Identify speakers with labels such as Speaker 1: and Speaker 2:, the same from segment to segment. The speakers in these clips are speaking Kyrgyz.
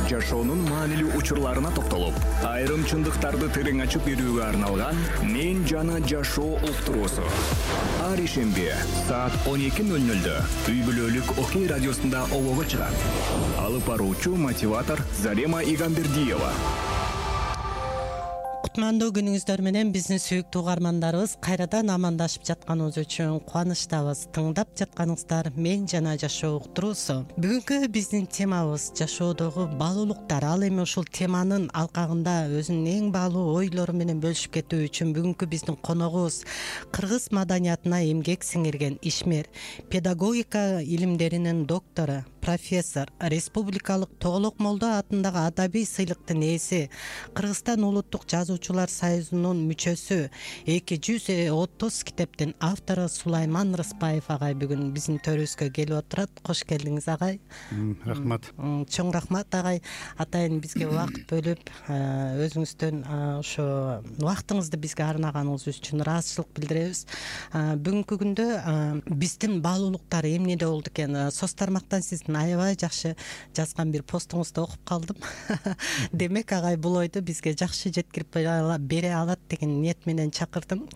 Speaker 1: жашоонун маанилүү учурларына токтолуп, айрым чындыктарды терең ачып берүүгө арналган «Мен жана жашоо» уктуруусу. Ар ишемби саат 12:00 үй бүлөлүк Окей радиосунда обого чыгат. Алып баруучу мотиватор Зарема Игамбердиева.
Speaker 2: Кутмандуу күнүңүздөр менен биздин сүйүктүү угармандарыбыз кайрадан амандашып жатканыбыз үчүн кубанычтабыз. Тыңдап жатканыңыздар «Мен жана жашоо» уктуруусу. Бүгүнкү биздин темабыз жашоодогу баалуулуктар. Ал эми ушул теманын алкагында өзүнүн эң баалуу ойлору менен бөлүшүп кетүү үчүн бүгүнкү биздин коногубуз кыргыз маданиятына эмгек сиңирген ишмер, педагогика илимдеринин доктору, профессор, республикалык Тоголок Молдо атындагы адабий сыйлыктын ээси, Кыргызстан улуттук жазуучулар союзунун мүчөсү, 230 китептин автору Сулайман Рыспаев агай бүгүн биздин төрүбүзгө келип отурат. Кош келдиңиз агай.
Speaker 3: Рахмат.
Speaker 2: Чоң рахмат агай. Атайын бизге убакыт бөлүп, өзүңүздөн ошо убактыңызды бизге арнаганыңыз үчүн ыраазычылык билдиребиз. Бүгүнкү күндө биздин баалуулуктар эмнеде болду экен? Соц тармактан сиздин аябай жакшы жазган бир постуңузду окуп калдым. Демек агай бул ойду бизге жакшы жеткирип бере алат деген ниет менен чакырдым.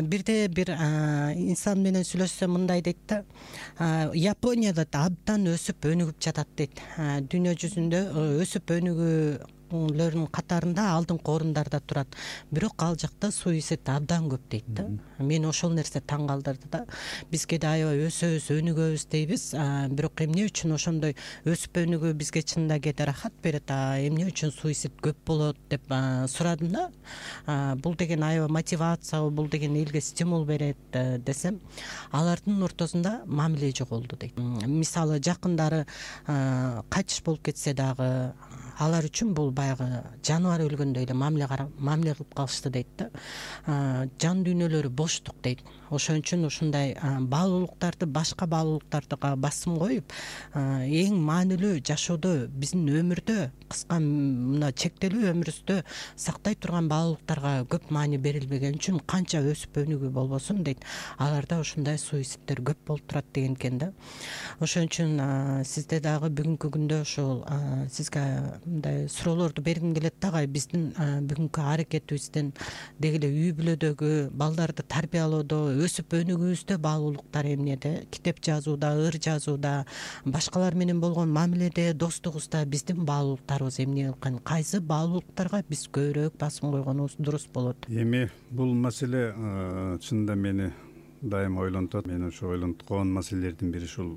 Speaker 2: Бирде бир инсан менен сүйлөшсөм мындай дейт да, Японияда абдан өсүп өнүгүп жатат дейт. Дүйнө жүзүндө өсүп өнүгүүлөрдүн катарында алдыңкы орундарда турат. Бирок ал жакта суицид абдан көп дейт да. Мени ошол нерсе таң калтырды да. Бизге да аябай өсөбүз, өнүгөбүз дейбиз. Бирок эмне үчүн ошондой өсүп өнүгүү бизге чынында кээде рахат берет, эмне үчүн суицид көп болот деп сурадым да. Бул деген аябай мотивация, бул деген элге стимул берет десем, алардын ортосунда мамиле жоголду дейт. Мисалы жакындары кайтыш болуп кетсе дагы алар үчүн бул баягы жаныбар өлгөндөй эле мамиле кылып калышты дейт да. Жан дүйнөлөрү боштук дейт. Ошон үчүн ушундай баалуулуктарды, башка баалуулуктарга басым коюп, эң маанилүү жашоодо, биздин өмүрдө, кыска мына чектелүү өмүрүбүздө сактай турган баалуулуктарга көп маани берилбеген үчүн канча өсүп өнүгүү болбосун дейт, аларда ушундай суицидтер көп болуп турат деген экен да. Ошон үчүн сизде дагы бүгүнкү күндө ушул сизге мындай суроолорду бергим келет да агай. Биздин бүгүнкү аракетибизден деги эле үй бүлөдөгү балдарды тарбиялоодо, өсүп өнүгүүбүздө баалуулуктар эмнеде? Китеп жазууда, ыр жазууда, башкалар менен болгон мамиледе, достугубузда биздин баалуулуктарыбыз эмне экен? Кайсы баалуулуктарга биз көбүрөөк басым койгонубуз дурус болот?
Speaker 3: Эми бул маселе чынында мени дайыма ойлонтот. Мен ошо ойлонткон маселелердин бири ушул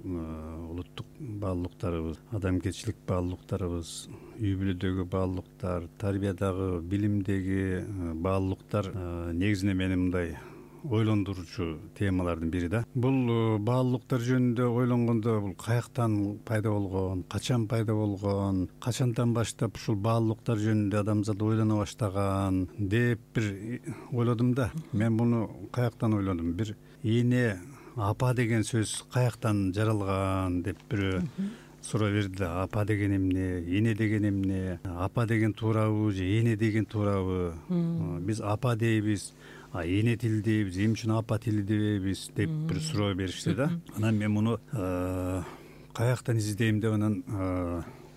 Speaker 3: улуттук баалуулуктарыбыз, адамгерчилик баалуулуктарыбыз, үй бүлөдөгү баалуулуктар, тарбиядагы, билимдеги баалуулуктар негизинен мени мындай ойлондуруучу темалардын бири да. Бул баалуулуктар жөнүндө ойлонгондо бул каяктан пайда болгон, качан пайда болгон, качандан баштап ушул баалуулуктар жөнүндө адамзат ойлоно баштаган деп бир ойлодум да. Мен муну каяктан ойлодум? Бир эне, апа деген сөз каяктан жаралган деп бирөө суроо берди да. Апа деген эмне, эне деген эмне, апа деген туурабы же эне деген туурабы? Биз апа дейбиз, эне тили дейбиз, эмне үчүн апа тили дебейбиз деп бир суроо беришти да. Анан мен муну каяктан издейм деп анан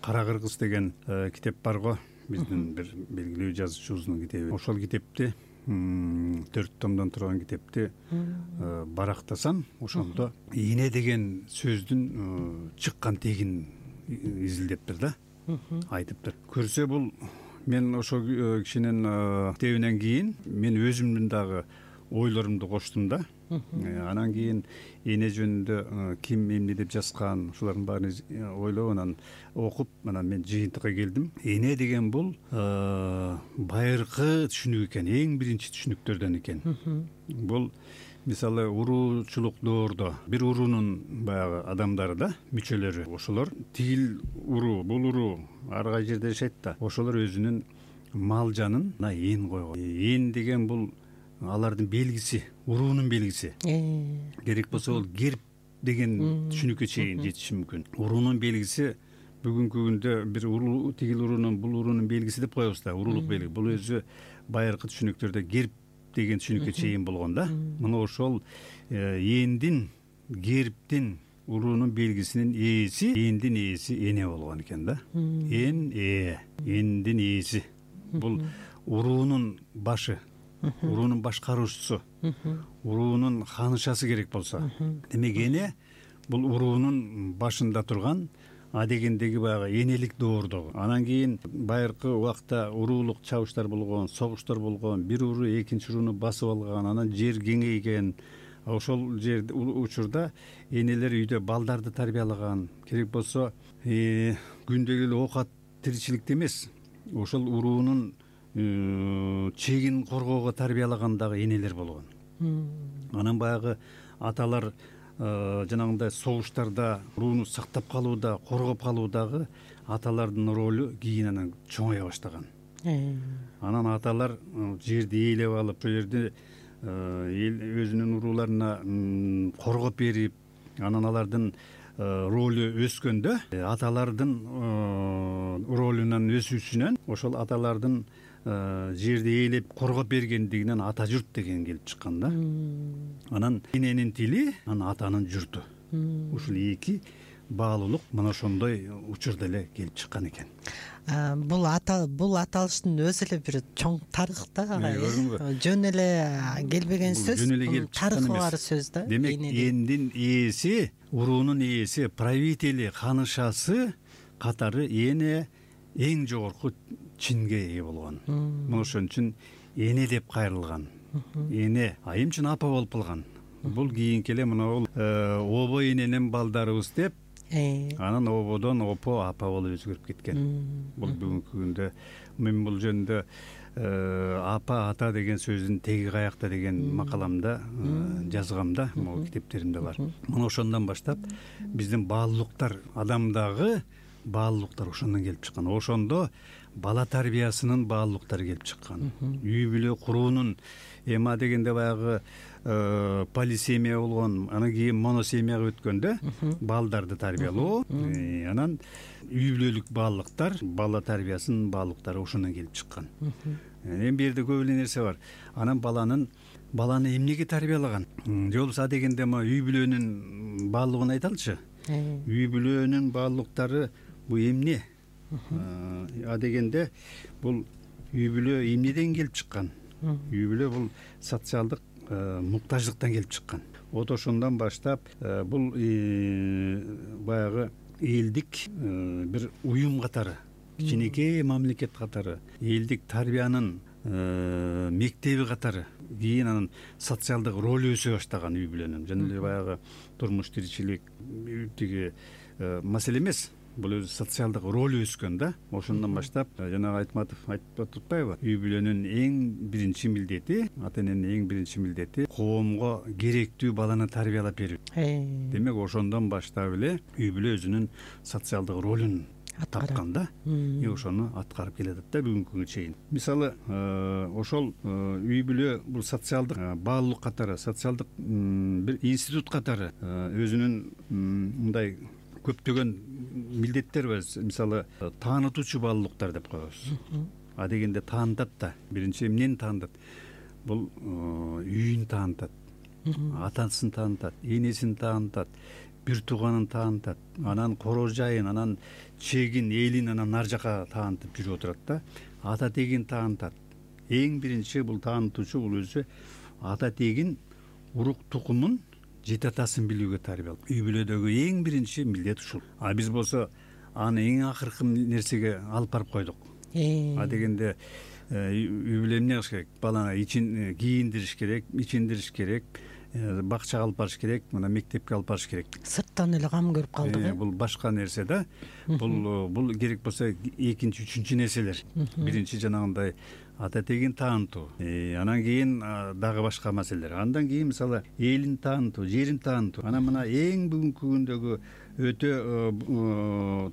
Speaker 3: Кара кыргыз деген китеп бар го, биздин бир белгилүү жазуучубуздун китеби. Ошол китепти 4 томдон турган китепти барактасам, ошондо эне деген сөздүн чыккан тегин изилдептир да, айтыптыр. Көрсө бул мен ошол кишинин китебинен кийин мен өзүмдүн дагы ойлорумду коштум да. Анан кийин эне жөнүндө ким эмне деп жазган, ушулардын баарын ойлоп, анан окуп, анан мен жыйынтыкка келдим. Эне деген бул байыркы түшүнүк экен, эң биринчи түшүнүктөрдөн экен. Бул мисалы уруучулук доордо бир уруунун баягы адамдары да, мүчөлөрү, ошолор тигил уруу, бул уруу ар кай жерде жашайт да, ошолор өзүнүн мал жанын ээн койгон. Ээн деген бул алардын белгиси, уруунун белгиси. Керек болсо ол герб деген түшүнүккө чейин жетиши мүмкүн. Уруунун белгиси бүгүнкү күндө бир уруу, тигил уруунун, бул уруунун белгиси деп коебуз да, уруулук белги. Бул өзү байыркы түшүнүктөрдө герб деген түшүнүккө чейин болгон да. Мына ошол ээндин, гербтин уруунун белгисинин ээси эндин ээси эне болгон экен да. Эндин ээси бул уруунун башы, уруунун башкаруучусу, уруунун ханышасы керек болсо. Демек эне бул уруунун башында турган адегендеги баягы энелик доордогу. Анан кийин байыркы убакта уруулук чабыштар болгон, согуштар болгон, бир уруу экинчи урууну басып алган, анан жер кеңейген. Ошол жер учурда энелер үйдө балдарды тарбиялаган. Керек болсо күндөгү эле оокат тиричиликте эмес, ошол уруунун чегин коргоого тарбиялаган дагы энелер болгон. Анан баягы аталар жанагындай согуштарда урууну сактап калууда, коргоп калуудагы аталардын ролу кийин анан чоңая баштаган. Анан аталар жерди ээлеп алып, ошол жерде өзүнүн урууларына коргоп берип, анан алардын ролу өскөндө, аталардын ролунан өсүүсүнөн ошол аталардын жерди ээлеп коргоп бергендигинен ата журт деген келип чыккан да. Анан эненин тили, анан атанын журту. Ушул эки баалуулук мына ошондой учурда эле келип чыккан экен.
Speaker 2: Бул аталыштын өзү эле бир чоң тарых да. Жөн эле келбеген сөз, тарыхы бар сөз да.
Speaker 3: Демек эндин ээси, уруунун ээси, правители, ханышасы катары эне эң жогорку чинге ээ болгон. Мына ошон үчүн эне деп кайрылган. Эне айым үчүн апа болуп калган. Бул кийинки эле мына обо эненин балдарыбыз деп, анан ободон опо апа болуп өзгөрүп кеткен. Бул бүгүнкү күндө мен бул жөнүндө апа ата деген сөздүн теги каякта деген макаламда жазгам да, могу китептеримде бар. Мына ошондон баштап биздин баалуулуктар, адамдагы баалуулуктар ошондон келип чыккан. Ошондо бала тарбиясынын баалуулуктары келип чыккан. Үй бүлө куруунун эма дегенде баягы полисемия болгон, анан кийин моносемияга өткөндө балдарды тарбиялоо, анан үй бүлөлүк баалуулуктар, бала тарбиясынын баалуулуктары ошондон келип чыккан. Эми бул жерде көп эле нерсе бар. Анан баланы эмнеге тарбиялаган? Же болбосо дегенде үй бүлөнүн баалуулугун айталычы. Үй бүлөнүн баалуулуктары бул эмне? Дегенде бул үй бүлө эмнеден келип чыккан? Үй бүлө бул социалдык муктаждыктан келип чыккан. Вот ошондон баштап бул баягы элдик бир уюм катары, кичинекей мамлекет катары, элдик тарбиянын мектеби катары, кийин анан социалдык ролу өсө баштаган үй бүлөнүн. Жана эле баягы турмуш тиричилик тиги маселе эмес, бул өзү социалдык ролу өскөн да. Ошондон баштап жанагы Айтматов айтып атпайбы? Үй бүлөнүн эң биринчи милдети, ата эненин эң биринчи милдети коомго керектүү баланы тарбиялап берүү. Демек ошондон баштап эле үй бүлө өзүнүн социалдык ролун тапкан да. Ошону аткарып келатат да бүгүнкү күнгө чейин. Мисалы, ошол үй бүлө бул социалдык баалуулук катары, социалдык бир институт катары өзүнүн мындай көптөгөн милдеттер бар. Мисалы, таанытуучу баалуулуктар деп коебуз. Дегенде таанытат да. Биринчи эмнени таанытат? Бул үйүн таанытат, атасын таанытат, энесин таанытат, бир тууганын таанытат, анан короо жайын, анан чегин, элин анан ар жака таанытып жүрүп отурат да. Ата тегин таанытат. Эң биринчи бул таанытуучу бул өзү ата тегин, урук тукумун, жети атасын билүүгө тарбиялап. Үй бүлөдөгү эң биринчи милдет ушул. Биз болсо аны эң акыркы нерсеге алып барып койдук. Дегенде үй бүлө эмне кылыш керек? Баланы кийиндириш керек, ичиндириш керек, бакчага алып барыш керек, мына мектепке алып барыш керек.
Speaker 2: Сырттан эле кам көрүп калдык.
Speaker 3: Бул башка нерсе да. Бул керек болсо экинчи, үчүнчү нерселер. Биринчи жанагындай ата тегин таанытуу, анан кийин дагы башка маселелер. Андан кийин мисалы элин таанытуу, жерин таанытуу. Анан мына эң бүгүнкү күндөгү өтө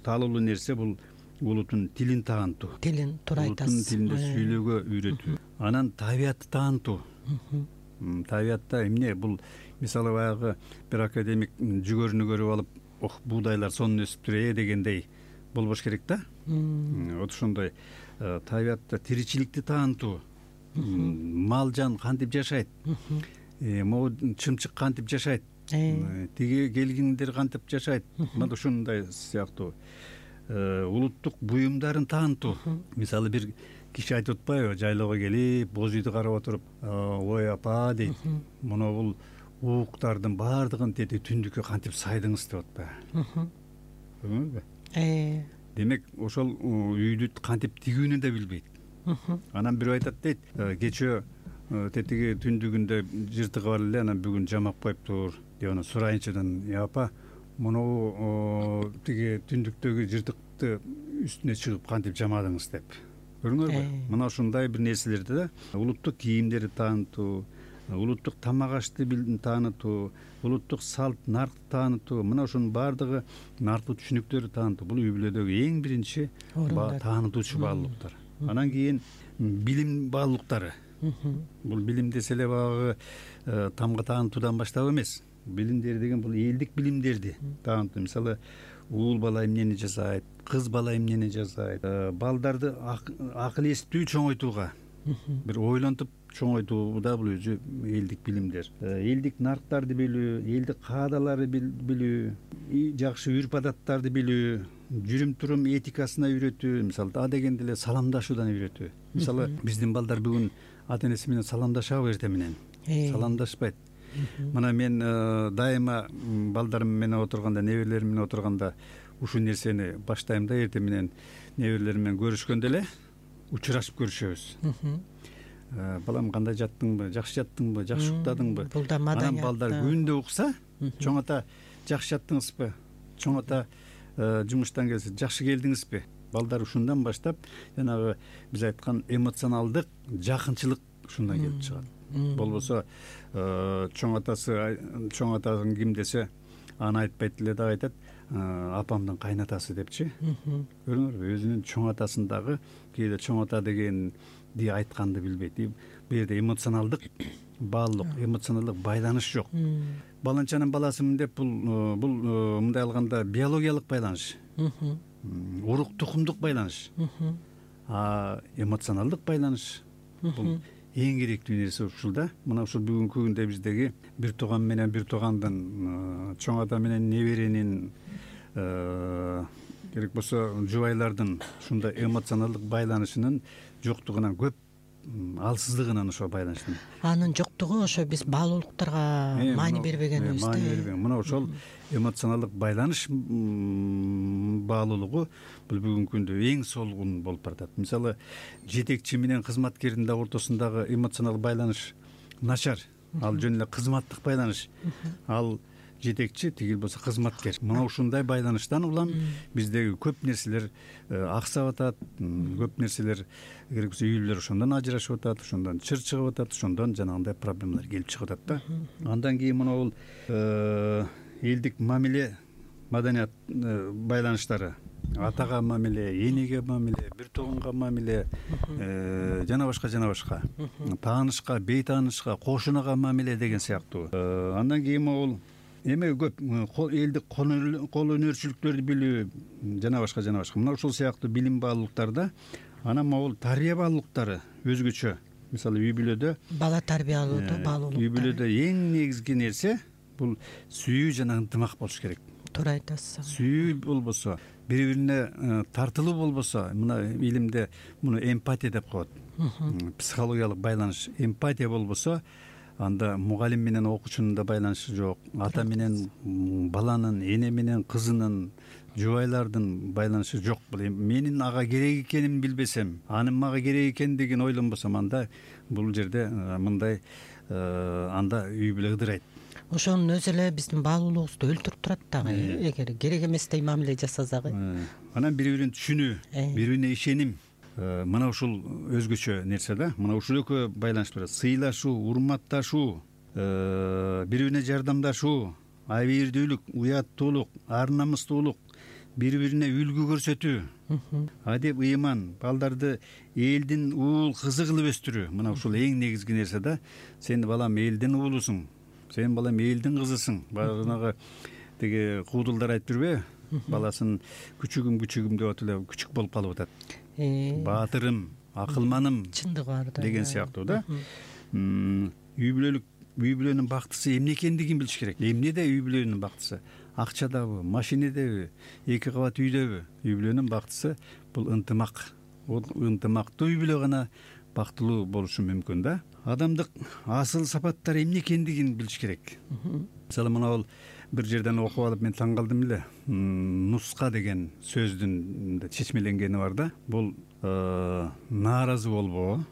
Speaker 3: таалуулуу нерсе бул улуттун тилин таанытуу.
Speaker 2: Тилин туура айтасыз.
Speaker 3: Улуттун тилинде сүйлөөгө үйрөтүү. Анан табиятты таанытуу. Табиятта эмне? Бул мисалы баягы бир академик жүгөрүнү көрүп алып, буудайлар сонун өсүптүр дегендей болбош керек да. Вот ошондой табиятта тиричиликти таанытуу. Мал жан кантип жашайт? Могу чымчык кантип жашайт? тиги келгиндер кантип жашайт, мына ушундай сыяктуу улуттук буюмдарын таанытуу. Мисалы бир киши айтып атпайбы, жайлоого келип боз үйдү карап отуруп, ой апа дейт, мына бул ууктардын баардыгын тети түндүккө кантип сайдыңыз деп атпайбы, көрдүңүзбү? Демек ошол үйдү кантип тигүүнү да билбейт. Анан бирөө айтат дейт, кечээ тетиги түндүгүндө жыртыгы бар эле, анан бүгүн жамап коюптур деп анан сурайынчыдан, апа муну тиги түндүктөгү жыртыкты үстүнө чыгып кантип жамадыңыз деп. Көрдүңөрбү? Мына ушундай бир нерселерди да улуттук кийимдерди таанытуу, улуттук тамак ашты таанытуу, улуттук салт наркты таанытуу, мына ушунун баардыгы наркы түшүнүктөрдү таанытуу. Бул үй бүлөдөгү эң биринчи таанытуучу баалуулуктар. Анан кийин билим баалуулуктары. Бул билим десе эле баягы тамга таанытуудан баштап эмес. Билимдер деген бул элдик билимдерди таанытуу. Мисалы, уул бала эмнени жасайт, кыз бала эмнени жасайт, балдарды акыл эстүү чоңойтууга, бир ойлонтуп чоңойтуу да бул өзү элдик билимдер. Элдик нарктарды билүү, элдик каадаларды билүү, жакшы үрп адаттарды билүү, жүрүм турум этикасына үйрөтүү. Мисалы, а дегенде эле саламдашуудан үйрөтүү. Мисалы, биздин балдар бүгүн ата энеси менен саламдашабы, эртең менен саламдашпайт. Мына мен дайыма балдарым менен отурганда, неберелерим менен отурганда ушул нерсени баштайм да, эртең менен неберелерим менен көрүшкөндө эле учурашып көрүшөбүз. Балам, кандай жаттыңбы, жакшы жаттыңбы, жакшы уктадыңбы? Бул да маданият. Анан балдар күндө укса, чоң ата жакшы жаттыңызбы, чоң ата жумуштан келсе жакшы келдиңизби? Балдар ушундан баштап жанагы биз айткан эмоционалдык жакынчылык ушундан келип чыгат. Болбосо чоң атасын ким десе аны айтпайт эле дагы айтат, апамдын кайнатасы депчи. Көрдүңөрбү? Өзүнүн чоң атасын дагы кээде чоң ата дегенди айтканды билбейт. Бул жерде эмоционалдык баалуулук, эмоционалдык байланыш жок. Баланчанын баласымын деп бул мындай алганда биологиялык байланыш, урук тукумдук байланыш. Эмоционалдык байланыш бул эң керектүү нерсе ушул да. Мына ушул бүгүнкү күндө биздеги бир тууган менен бир туугандын, чоң ата менен неберенин, керек болсо жубайлардын ушундай эмоционалдык байланышынын жоктугунан, көп алсыздыгынан ошо байланыштын. Анын жоктугу ошо биз баалуулуктарга маани бербегенибиз. Мына ошол эмоционалдык байланыш баалуулугу бул бүгүнкү күндө эң солгун болуп баратат. Мисалы, жетекчи менен кызматкердин да ортосундагы эмоционалдык байланыш начар. Ал жөн эле кызматтык байланыш. Ал жетекчи, тиги болсо кызматкер. Мына ушундай байланыштан улам биздеги көп нерселер аксап атат, көп нерселер керек болсо үй бүлөлөр ошондон ажырашып атат, ошондон чыр чыгып атат, ошондон жанагындай проблемалар келип чыгып атат да. Андан кийин мына бул элдик мамиле, маданият байланыштары, атага мамиле, энеге мамиле, бир тууганга мамиле, жана башка, таанышка, бейтаанышка, кошунага мамиле деген сыяктуу. Андан кийин бул эме көп элдик кол өнөрчүлүктөрдү билүү, жана башка. Мына ушул сыяктуу билим баалуулуктарда. Анан могул тарбия баалуулуктары өзгөчө. Мисалы, үй бүлөдө бала тарбиялоодо баалуулуктар. Үй бүлөдө эң негизги нерсе бул сүйүү жана ынтымак болуш керек. Туура айтасыз. Сүйүү болбосо, бири-бирине тартылуу болбосо, мына илимде муну эмпатия деп коет. Психологиялык байланыш. Эмпатия болбосо, анда мугалим менен окуучунун да байланышы жок, ата менен баланын, эне менен кызынын, жубайлардын байланышы жок. Менин ага керек экенин билбесем, анын мага керек экендигин ойлонбосом, анда бул жерде мындай анда үй бүлө ыдырайт. Ошонун өзү эле биздин баалуулугубузду өлтүрүп турат дагы, эгер керек эместей мамиле жасасак. Анан бири-бирин түшүнүү, бири-бирине ишеним. Мына ушул өзгөчө нерсе да. Мына ушул экөө байланыш бар. Сыйлашуу, урматташуу, бири-бирине жардамдашуу, абийирдүүлүк, уяттуулук, ар намыстуулук, бири-бирине үлгү көрсөтүү, адеп, ыйман, балдарды элдин уул кызы кылып өстүрүү. Мына ушул эң негизги нерсе да. Сен балам элдин уулусуң, сен балам элдин кызысың. Баягы тиги куудулдар айтып жүрбөйбү? Баласын күчүгүм деп атып эле күчүк болуп калып атат. Баатырым, акылманым, чындыгы бар да деген сыяктуу да. Үй бүлөлүк үй бүлөнүн бактысы эмне экендигин билиш керек. Эмнеде үй бүлөнүн бактысы? Акчадабы, машинедеби, 2 кабат үйдөбү? Үй бүлөнүн бактысы бул ынтымак. Бул ынтымактуу үй бүлө гана бактылуу болушу мүмкүн да. Адамдык асыл сапаттары эмне экендигин билиш керек. Мисалы мына бир жерден окуп алып мен таң калдым эле. Нуска деген сөздүн чечмеленгени бар да. Бул нааразы болбоо,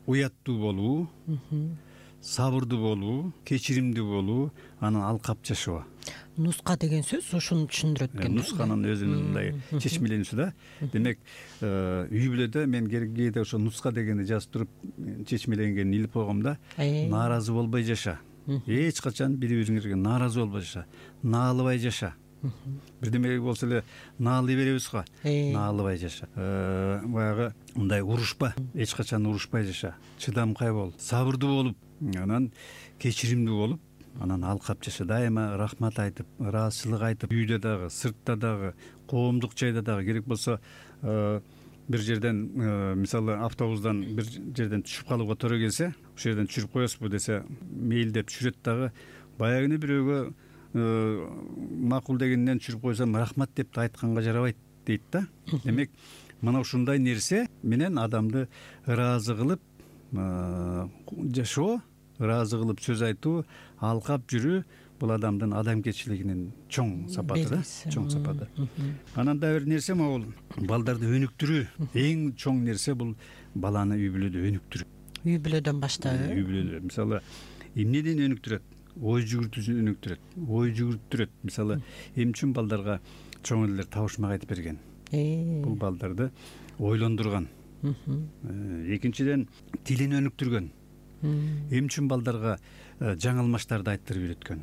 Speaker 3: уяттуу болуу, сабырдуу болуу, кечиримдүү болуу, анан алкап жашоо.
Speaker 2: Нуска деген сөз ушуну түшүндүрөт экен.
Speaker 3: Нусканын өзүнүн мындай чечмелениши да. Демек, үй бүлөдө мен кээде ошо нуска дегенди жазып туруп чечмеленгенин илип койгом да. Нааразы болбой жаша. Эч качан бири-бириңерге нааразы болбой жаша. Наалыбай жаша. Бирдеме болсо эле наалый беребиз го. Наалыбай жаша. Баягы мындай урушпа. Эч качан урушпай жаша. Чыдамкай бол, сабырдуу болуп, анан кечиримдүү болуп, анан алкап жаша. Дайыма рахмат айтып, ыраазычылык айтып, үйдө дагы, сыртта дагы, коомдук жайда дагы, керек болсо бир жерден, мисалы автобустан бир жерден түшүп калууга туура келсе, ошол жерден түшүрүп коесузбу десе, мейилдеп түшүрөт дагы. Баягыны бирөөгө макул дегенден түшүрүп койсом рахмат деп айтканга жарабайт дейт да. Демек, мына ушундай нерсе менен адамды ыраазы кылып жашоо, ыраазы кылып сөз айтуу, алкап жүрүү бул адамдын адамгерчилигинин чоң сапаты да, чоң сапаты. Анан да бир нерсе могул балдарды өнүктүрүү. Эң чоң нерсе бул баланы үй бүлөдө өнүктүрүү.
Speaker 2: Үй бүлөдөн баштап.
Speaker 3: Үй бүлөдө мисалы эмнеден өнүктүрөт? Ой жүгүртүүсүн өнүктүрөт. Ой жүгүртүрөт. Мисалы эмне үчүн балдарга чоң элелер табышмак айтып берген? Бул балдарды ойлондурган. Экинчиден тилин өнүктүргөн. Эмне үчүн балдарга жаңы алмаштарды айттырып үйрөткөн?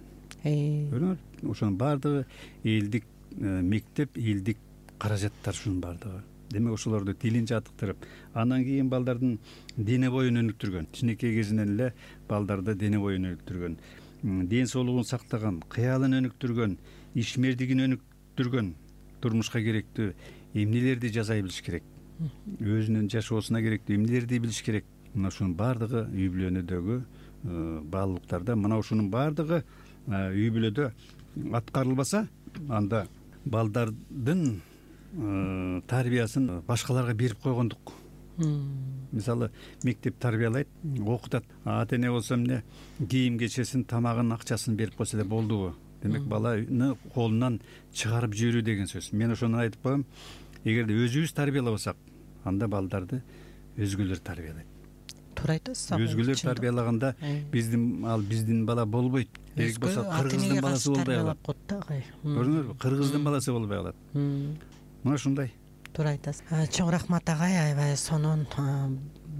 Speaker 3: Ошонун баардыгы элдик мектеп, элдик каражаттар ушунун баардыгы. Демек ошолорду тилин жаттыктырып, андан кийин балдардын дене боюн өнүктүргөн. Кичинекей кезинен эле балдарды дене боюн өнүктүргөн, ден соолугун сактаган, кыялын өнүктүргөн, ишмердигин өнүктүргөн, турмушка керектүү эмнелерди жасай билиш керек, өзүнүн жашоосуна керектүү эмнелерди билиш керек. Мына ушунун баардыгы үй бүлөнүдөгү баалуулуктарда. Мына ушунун баардыгы үй бүлөдө аткарылбаса, анда балдардын тарбиясын башкаларга берип койгондук. Мисалы мектеп тарбиялайт, окутат. Ата эне болсо эмне кийим кечесин, тамагын, акчасын берип койсо эле болдубу? Демек баланы колунан чыгарып жиберүү деген сөз. Мен ошону айтып коем. Эгерде өзүбүз тарбиялабасак, анда балдарды өзгөлөр тарбиялайт.
Speaker 2: Туура айтасыз.
Speaker 3: Өзгөлөр тарбиялаганда биздин бала болбойт. Керек болсо кыргыздын баласы болбой калат. Көрдүңүзбү? Кыргыздын баласы болбой калат. Мына ушундай.
Speaker 2: Туура айтасыз. Чоң рахмат агай, аябай сонун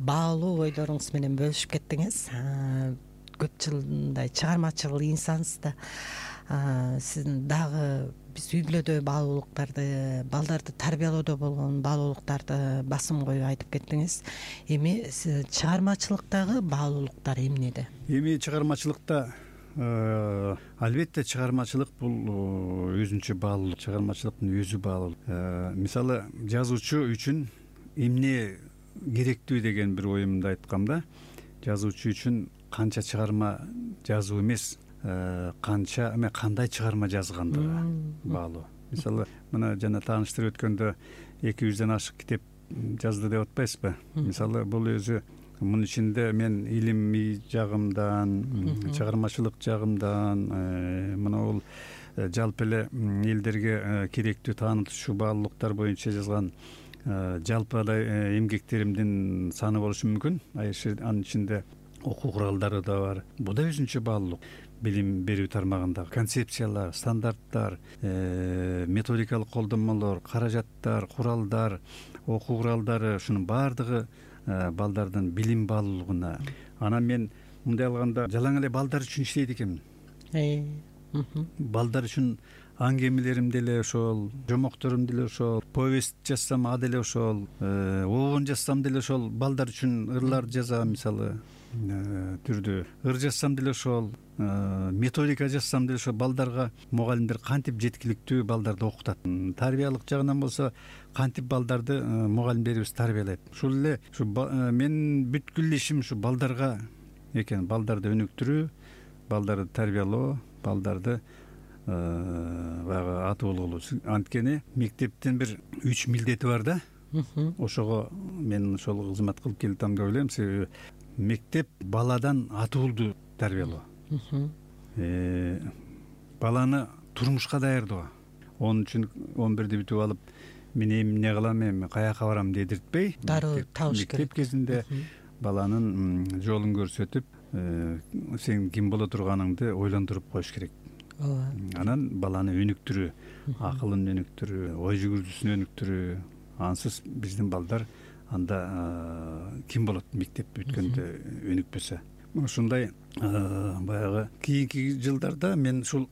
Speaker 2: баалуу ойлоруңуз менен бөлүшүп кеттиңиз. Көп жылдай чыгармачыл инсансыз да. Сиздин дагы биз үй бүлөдө баалуулуктарды, балдарды тарбиялоодо болгон баалуулуктарды басым коюп айтып кеттиңиз. Эми чыгармачылыктагы баалуулуктар эмнеде?
Speaker 3: Эми чыгармачылыкта албетте чыгармачылык бул өзүнчө баалуулук. Чыгармачылыктын өзү баалуулук. Мисалы жазуучу үчүн эмне керектүү деген бир оюмду айткам да. Жазуучу үчүн канча чыгарма жазуу эмес, кандай чыгарма жазгандыгы баалуу. Мисалы мына жана тааныштырып өткөндө 200ден ашык китеп жазды деп атпайсызбы? Мисалы бул өзү мунун ичинде мен илимий жагымдан, чыгармачылык жагымдан, мына бул жалпы эле элдерге керектүү таанытуучу баалуулуктар боюнча жазган жалпыдай эмгектеримдин саны болушу мүмкүн. Анын ичинде окуу куралдары да бар. Бул да өзүнчө баалуулук. Билим берүү тармагындагы концепциялар, стандарттар, методикалык колдонмолор, каражаттар, куралдар, окуу куралдары, ушунун баардыгы балдардын билим баалуулугуна. Анан мен мындай алганда жалаң эле балдар үчүн иштейт экенмин. Балдар үчүн аңгемелерим деле ошол, жомокторум деле ошол, повесть жазсам а деле ошол, обон жазсам деле ошол, балдар үчүн ырлар жазам, мисалы түрдүү ыр жазсам деле ошол, методика жазсам деле ошол. Балдарга мугалимдер кантип жеткиликтүү балдарды окутат, тарбиялык жагынан болсо кантип балдарды мугалимдерибиз тарбиялайт. Ушул эле менин бүткүл ишим ушу балдарга экен: балдарды өнүктүрүү, балдарды тарбиялоо, балдарды баягы атуулгу. Анткени мектептин бир 3 милдети бар да. Ошого мен ошол кызмат кылып келатам деп ойлойм. Себеби мектеп баладан атуулду тарбиялоо, баланы турмушка даярдоо. Onun үчүн 11-ди бүтүп алып мен эмне кылам, эми каяка барам дедиртпей,
Speaker 2: дароо табыш керек.
Speaker 3: Мектеп кезинде баланын жолун көрсөтүп, сен ким боло турганыңды ойлондуруп коюш керек. Анан баланы өнүктүрүү, акылын өнүктүрүү, ой жүгүртүүсүн өнүктүрүү. Ансыз биздин балдар анда ким болот мектеп бүткөндө өнүкпөсө. Ушундай баягы кийинки жылдарда мен ушул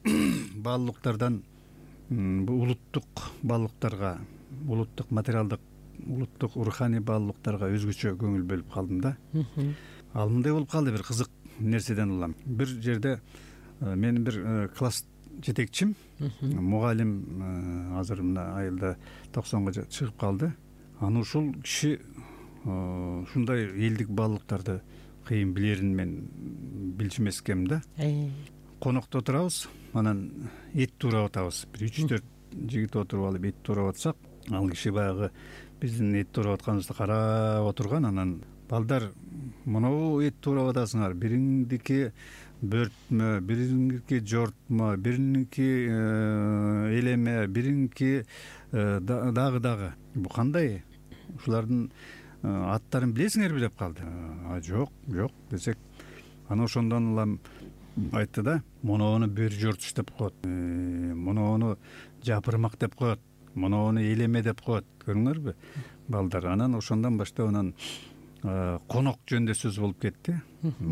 Speaker 3: баалуулуктардан улуттук баалуулуктарга, улуттук материалдык, улуттук руханий баалуулуктарга өзгөчө көңүл бөлүп калдым да. Ал мындай болуп калды, бир кызык нерседен улам. Бир жерде менин бир класс жетекчим, мугалим, азыр мына айылда 90-га чыгып калды. Аны ушул киши ушундай элдик баалуулуктарды кыйын билерин мен билчүмескем да. Конокто отурабыз, анан эт туурап атабыз. Бир 3-4 жигит отуруп алып эт туурап атсак, ал киши баягы биздин эт туурап атканыбызды карап отурган. Анан: балдар, монобу эт туурап атасыңар, бириңдики бөртмө, бириңдики жортмо, бириңдики элеме, бириңдики дагы. Бу кандай? Ушулардын аттарын билесиңерби деп калды. Жок десек, аны ошондон улам айтты да: моноону бөр жортуш деп коет, моноону жапырмак деп коет, моноону элеме деп коет. Көрүңөрбү балдар? Анан ошондон баштап анан конок жөнүндө сөз болуп кетти.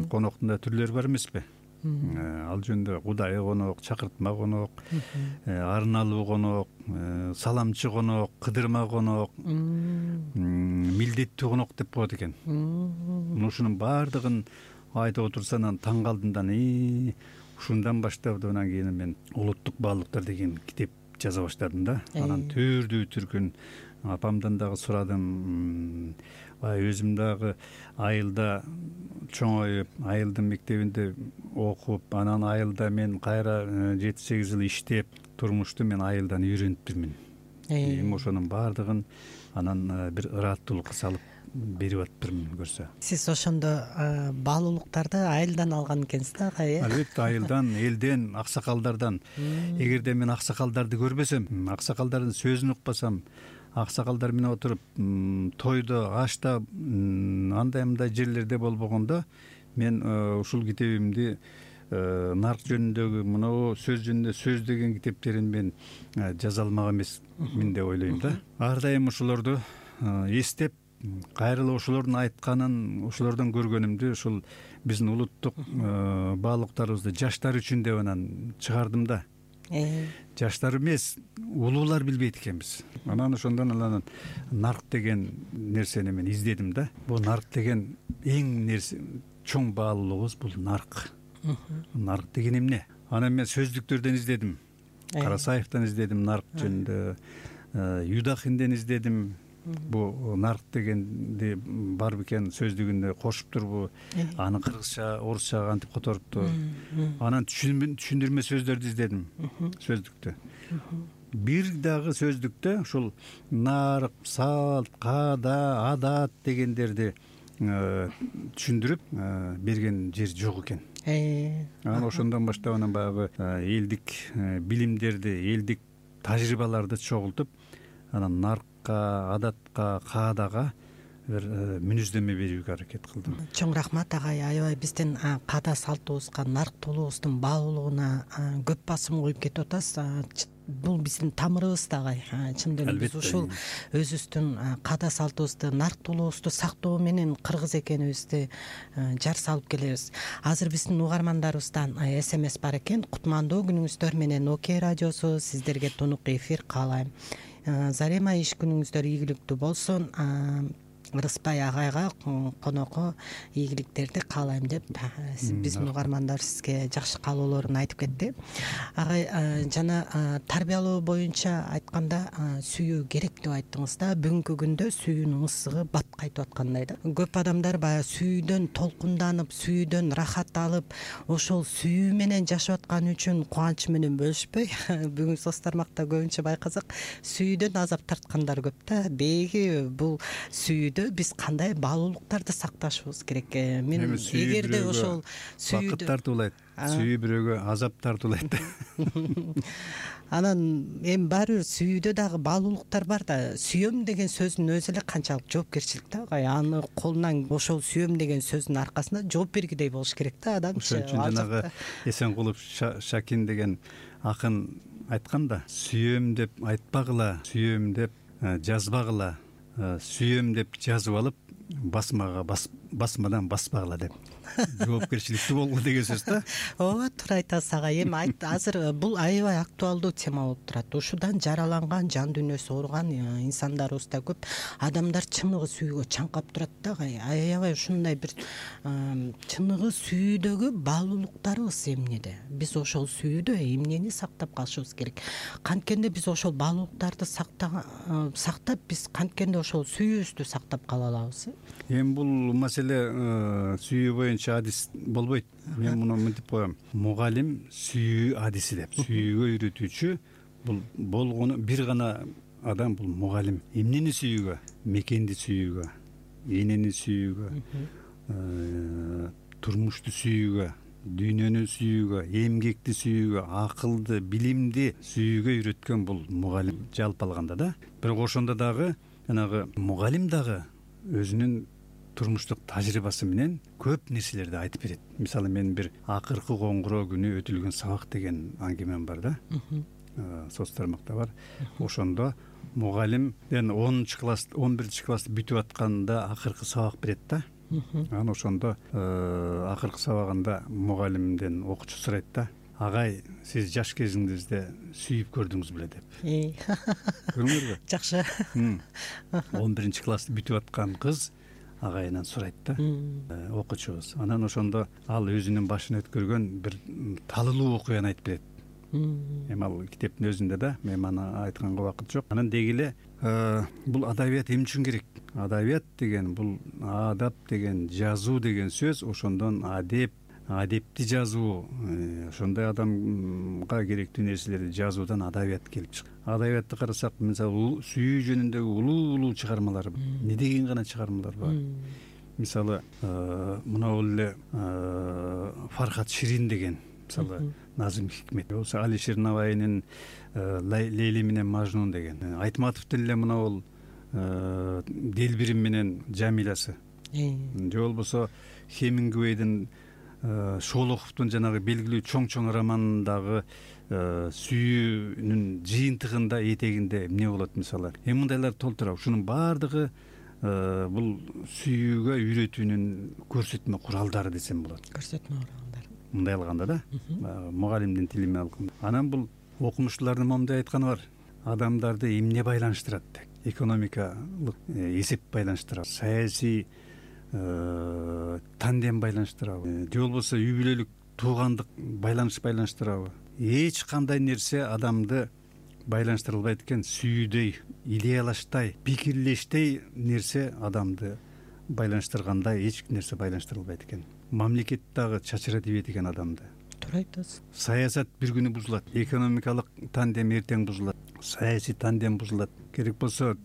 Speaker 3: Коноктун да түрлөрү бар эмеспи? Ал жөнүндө кудайы конок, чакыртма конок, арналуу конок, саламчы конок, кыдырма конок, милдеттүү конок деп коет экен. Ушунун баардыгын айтып отурса, анан таң калдым да. Ушундан баштап анан кийин мен улуттук баалуулуктар деген китеп жаза баштадым да. Анан төрдүү түркүн апамдан дагы сурадым. Өзүм дагы айылда чоңоюп, айылдын мектебинде окуп, анан айылда мен кайра 7-8 жыл иштеп, турмушту мен айылдан үйрөнүптүрмүн. Эми ошонун баардыгын анан бир ыраттуулукка салып берип атыптырмын көрсө.
Speaker 2: Сиз ошондо баалуулуктарды айылдан алган экенсиз да, агай?
Speaker 3: Албетте, айылдан, элден, аксакалдардан. Эгерде мен аксакалдарды көрбөсөм, аксакалдардын сөзүн укпасам, аксакалдар менен отуруп тойдо, ашта, андай-мындай жерлерде болбогондо, мен ушул китебимди нарк жөнүндөгү, мына сөз жөнүндө сөз деген китептерин мен жаза алмак эмесмин деп ойлойм да. Ар дайым ошолорду эстеп, кайрылып ошолордун айтканын, ошолордон көргөнүмдү ушул биздин улуттук баалуулуктарыбызды жаштар үчүн деп анан чыгардым да. Жаштар эмес, улуулар билбейт экенбиз. Анан ошондон анан нарк деген нерсени мен издедим да. Бул нарк деген эң нерсе, чоң баалуулугубуз бул нарк. Нарк деген эмне? Анан мен сөздүктөрдөн издедим. Карасаевден издедим нарк жөнүндө, Юдахинден издедим. Бу нарк дегенди бар бекен сөздүгүндө кошуп турбу, аны кыргызча, орусча кантип которупту. Анан түшүндүрмө сөздөрдү издедим сөздүктө. Бир дагы сөздүктө ушул нарк, салт, каада, адат дегендерди түшүндүрүп берген жер жок экен. Анан ошондон баштап анан баягы элдик билимдерди, элдик тажрыйбаларды чогултуп, анан наркка, адатка, каадага бир мүнөздөмө берүүгө аракет кылдым.
Speaker 2: Чоң рахмат, агай. Аябай биздин каада салтыбызга, нарктуулугубуздун баалуулугуна көп басым коюп кетип атасыз. Бул биздин тамырыбыз да, агай. Чындап эле биз ушул өзүбүздүн каада салтыбызды, нарктуулугубузду сактоо менен кыргыз экенибизди жар салып келебиз. Азыр биздин угармандарыбыздан SMS бар экен. Кутмандуу күнүңүздөр менен Оке радиосу сиздерге тунук эфир каалайм. Зарема иш күнүңүздөр ийгиликтүү болсун. Рыспай агайга конокко ийгиликтерди каалайм деп биздин угармандар сизге жакшы каалоолорун айтып кетти. Агай жана тарбиялоо боюнча айтканда сүйүү керек деп айттыңыз да. Бүгүнкү күндө сүйүүнүн ысыгы бат кайтып аткандай да. Көп адамдар баягы сүйүүдөн толкунданып, сүйүүдөн рахат алып, ошол сүйүү менен жашап аткан үчүн кубанычы менен бөлүшпөй бүгүн соц тармакта көбүнчө байкасак сүйүүдөн азап тарткандар көп да. Деги бул сүйүүдө биз кандай баалуулуктарды сакташыбыз керек? Мен эгерде ошол сүйүүдө
Speaker 3: бакыт тартуулайт, сүйүү бирөөгө азап тартуулайт.
Speaker 2: Анан эми баары бир сүйүүдө дагы баалуулуктар бар да. Сүйөм деген сөздүн өзү эле канчалык жоопкерчилик да. Аны колунан ошол сүйөм деген сөздүн аркасында жооп бергидей болуш керек да адамчы.
Speaker 3: Ошон үчүн жанагы Эсенкулов Шакин деген акын айткан да, сүйөм деп айтпагыла, сүйөм деп жазбагыла, сүйөм деп жазып алып басмадан баспагыла деп. Жоопкерчиликтүү болгула деген сөз да.
Speaker 2: Ооба, туура айтасыз агай. Эми азыр бул аябай актуалдуу тема болуп турат. Ушудан жараланган, жан дүйнөсү ооруган инсандарыбыз да көп. Адамдар чыныгы сүйүүгө чаңкап турат да агай. Аябай ушундай бир чыныгы сүйүүдөгү баалуулуктарыбыз эмнеде? Биз ошол сүйүүдө эмнени сактап калышыбыз керек? Канткенде биз ошол баалуулуктарды сактап, биз канткенде ошол сүйүүбүздү сактап кала алабыз?
Speaker 3: Эми бул маселе сүйүү боюнча адис болбойт. Мен муну мынтип коем. Мугалим сүйүү адиси деп. Сүйүүгө үйрөтүүчү бул болгону бир гана адам, бул мугалим. Эмнени сүйүүгө? Мекенди сүйүүгө, энени сүйүүгө, турмушту сүйүүгө, дүйнөнү сүйүүгө, эмгекти сүйүүгө, акылды, билимди сүйүүгө үйрөткөн бул мугалим жалпы алганда да. Бирок ошондо дагы жанагы мугалим дагы өзүнүн турмуштук тажрыйбасы менен көп нерселерди айтып берет. Мисалы, мен бир акыркы коңгуроо күнү өтүлгөн сабак деген аңгемем бар да. Соц тармакта бар. Ошондо мугалим 10-чы класс, 11-чи классты бүтүп атканда акыркы сабак берет да. Анан ошондо акыркы сабагында мугалимден окуучу сурайт да: агай, сиз жаш кезиңизде сүйүп көрдүңүз беле деп. Көрдүңүзбү?
Speaker 2: Жакшы.
Speaker 3: 11-чи классты бүтүп аткан кыз агайынан сурайт да, окуучубуз. Анан ошондо ал өзүнүн башынан өткөргөн бир талылуу окуяны айтып берет. Эми ал китептин өзүндө да, мен аны айтканга убакыт жок. Анан деги эле бул адабият эмне үчүн керек? Адабият деген бул адап деген, жазуу деген сөз, ошондон адеп, адепти жазуу, ошондой адамга керектүү нерселерди жазуудан адабият келип чыгат. Адабиятты карасак, мисалы, сүйүү жөнүндөгү улуу чыгармалар, не деген гана чыгармалар бар. Мисалы, мына эле Фархат Ширин деген, мисалы, Назым Хикмет болсо, Алишер Навайнын Лейли менен Мажнун деген, Айтматов деле мына ол Делбирим менен Жамилясы, же болбосо Хемингуэйдин, Шолоховдун жанагы белгилүү чоң романындагы сүйүүнүн жыйынтыгында этегинде эмне болот, мисалы. Эми мындайлар толтура. Ушунун баардыгы бул сүйүүгө үйрөтүүнүн көрсөтмө куралдары десем болот.
Speaker 2: Көрсөтмө куралдары.
Speaker 3: Мындай алганда да, мугалимдин тили менен алганда. Анан бул окумуштуулардын момундай айтканы бар: адамдарды эмне байланыштырат деп. Экономикалык эсеп байланыштырат, саясий тандем байланыштырабы, же болбосо үй бүлөлүк туугандык байланыштырабы? Эч кандай нерсе адамды байланыштыра албайт экен. Сүйүүдөй, идеялаштай, пикирлештей нерсе адамды байланыштыргандай эч нерсе байланыштыра албайт экен. Мамлекет дагы чачыра тийбейт экен адамды.
Speaker 2: Туура айтасыз.
Speaker 3: Саясат бир күнү бузулат, экономикалык тандем эртең бузулат, саясий тандем бузулат. Керек болсо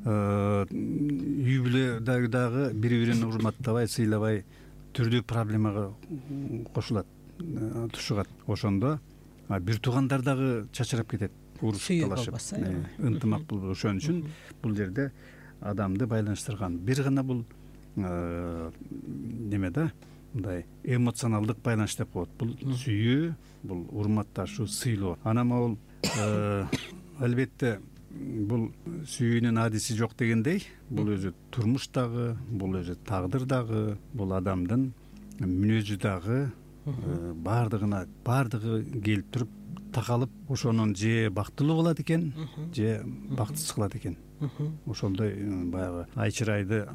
Speaker 3: үй бүлөдөгү дагы бири-бирин урматтабай, сыйлабай түрдүү проблемага кошулат, тушугат. Ошондо бир туугандар дагы чачырап кетет, урушуп талашып, ынтымак болбой. Ошон үчүн бул жерде адамды байланыштырган бир гана бул неме да, мындай эмоционалдык байланыш деп коет. Бул сүйүү, бул урматташуу, сыйлоо. Анан бул албетте бул сүйүүнүн адиси жок дегендей, бул өзү турмуш дагы, бул өзү тагдыр дагы, бул адамдын мүнөзү дагы, баардыгы келип туруп такалып ошонун же бактылуу кылат экен, же бактысыз кылат экен. Ошондой баягы ай чырайды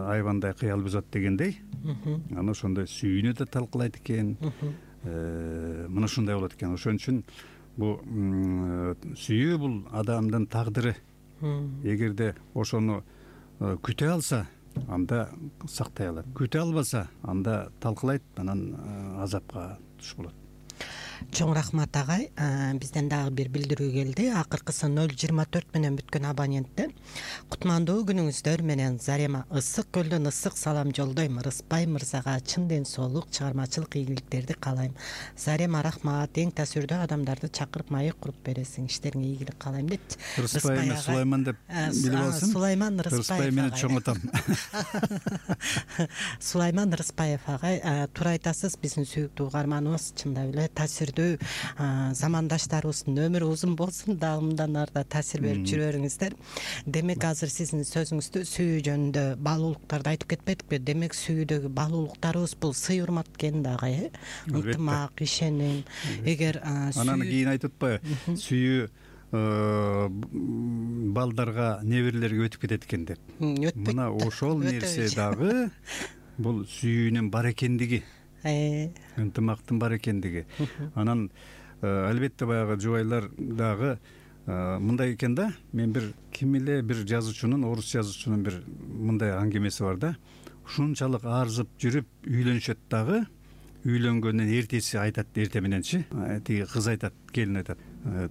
Speaker 3: айбандай кыял бузат дегендей, анан ошондой сүйүүнү да талкуулайт экен. Мына ушундай болот экен. Ошон үчүн бул сүйүү бул адамдын тагдыры. Эгерде ошону күтө алса, анда сактай алат. Күтө албаса, анда талкуулайт, анан азапка туш болот.
Speaker 2: Чоң рахмат агай. Бизден дагы бир билдирүү келди. Акыркысы 024 менен бүткөн абоненттен. Кутмандуу күнүңүздөр менен Зарема ысык көлдөн ысык салам жолдойм. Рыспай мырзага чын ден соолук, чыгармачылык ийгиликтерди каалайм. Зарема рахмат. Эң таасирдүү адамдарды чакырып маек куруп бересиң. Иштериңе ийгилик каалайм депчи.
Speaker 3: Рыспай эмес, Сулайман деп билип алсын.
Speaker 2: Сулайман Рыспаев.
Speaker 3: Рыспай менен чоңотом.
Speaker 2: Сулайман Рыспаев агай, туура айтасыз. Биздин сүйүктүү угарманыбыз чындап эле таасирдүү замандаштарыбыздын өмүрү узун болсун, дагы мындан арда таасир берип жүрө бериңиздер. Демек азыр сиздин сөзүңүздө сүйүү жөнүндө баалуулуктарды айтып кетпедикпи? Демек сүйүүдөгү баалуулуктарыбыз бул сый урмат экен да агай, ынтымак, ишеним. Эгер
Speaker 3: анан кийин айтып атпайбы, сүйүү балдарга, неберелерге өтүп кетет экен деп. Мына ошол нерсе дагы бул сүйүүнүн бар экендиги, ынтымактын бар экендиги. Анан албетте баягы жубайлар дагы мындай экен да. Мен ким эле бир жазуучунун, орус жазуучунун бир мындай аңгемеси бар да. Ушунчалык арзып жүрүп үйлөнүшөт дагы, үйлөнгөндөн эртеси айтат, эрте мененчи тиги кыз айтат, келин айтат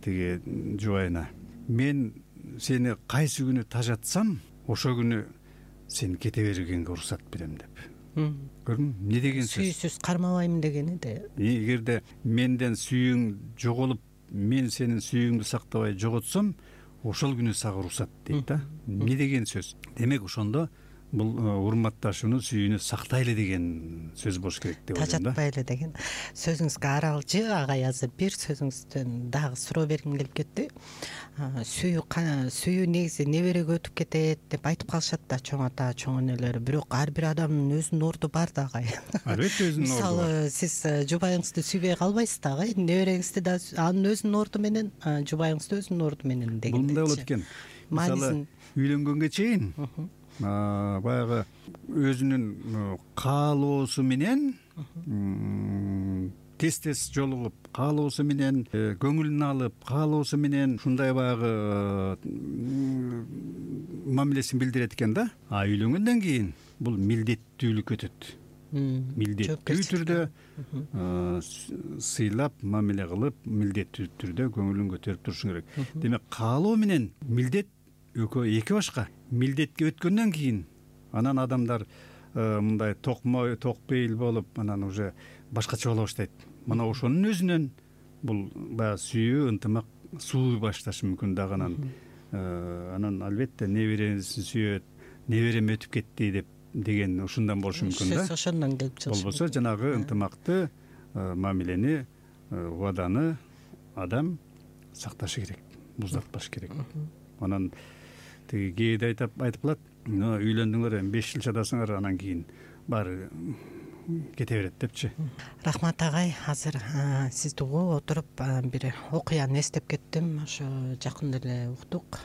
Speaker 3: тиги жубайына: мен сени кайсы күнү тажатсам, ошол күнү сени кете бергенге уруксат берем деп. Көрдүңбү? Эмне деген сөз?
Speaker 2: Сүйүүсүз кармабайм дегени да.
Speaker 3: Эгерде менден сүйүүң жоголуп, мен сенин сүйүүңдү сактабай жоготсом, ошол күнү сага уруксат дейт да. Эмне деген сөз? Демек ошондо бул урматташууну, сүйүүнү сактайлы деген сөз болуш керек деп ойлойм да.
Speaker 2: Тажатпайлы деген сөзүңүзгө аралжы агай, азыр бир сөзүңүздөн дагы суроо бергим келип кетти. Сүйүү негизи небереге өтүп кетет деп айтып калышат да чоң ата, чоң энелер. Бирок ар бир адамдын өзүнүн орду бар да агай. Албетте өзүнүн орду бар. Мисалы, сиз жубайыңызды сүйбөй калбайсыз да агай, небереңизди да анын өзүнүн орду менен, жубайыңызды өзүнүн орду менен деген.
Speaker 3: Бул мындай болот экен. Мисалы, үйлөнгөнгө чейин баягы өзүнүн каалоосу менен тез жолугуп, каалоосу менен көңүлүн алып, каалоосу менен ушундай баягы мамилесин билдирет экен да. Үйлөнгөндөн кийин бул милдеттүүлүккө өтөт. Милдеттүү түрдө сыйлап, мамиле кылып, милдеттүү түрдө көңүлүн көтөрүп турушуң керек. Демек каалоо менен милдет экөө эки башка. Милдетке өткөндөн кийин анан адамдар мындай токпейил болуп, анан уже башкача боло баштайт. Мына ошонун өзүнөн бул баягы сүйүү, ынтымак сууй башташы мүмкүн дагы. Анан албетте небересин сүйөт, неберем өтүп кетти деген ушундан болушу мүмкүн да. Сөз
Speaker 2: ошондон келип чыгышы.
Speaker 3: Болбосо жанагы ынтымакты, мамилени, убаданы адам сакташы керек, буздатпаш керек. Анан тиги кээде айтып калат: үйлөндүңөр, 5 жыл чадасыңар, анан кийин баары кете берет депчи.
Speaker 2: Рахмат агай, азыр сизди угуп отуруп бир окуяны эстеп кеттим. Ошо жакында эле уктук,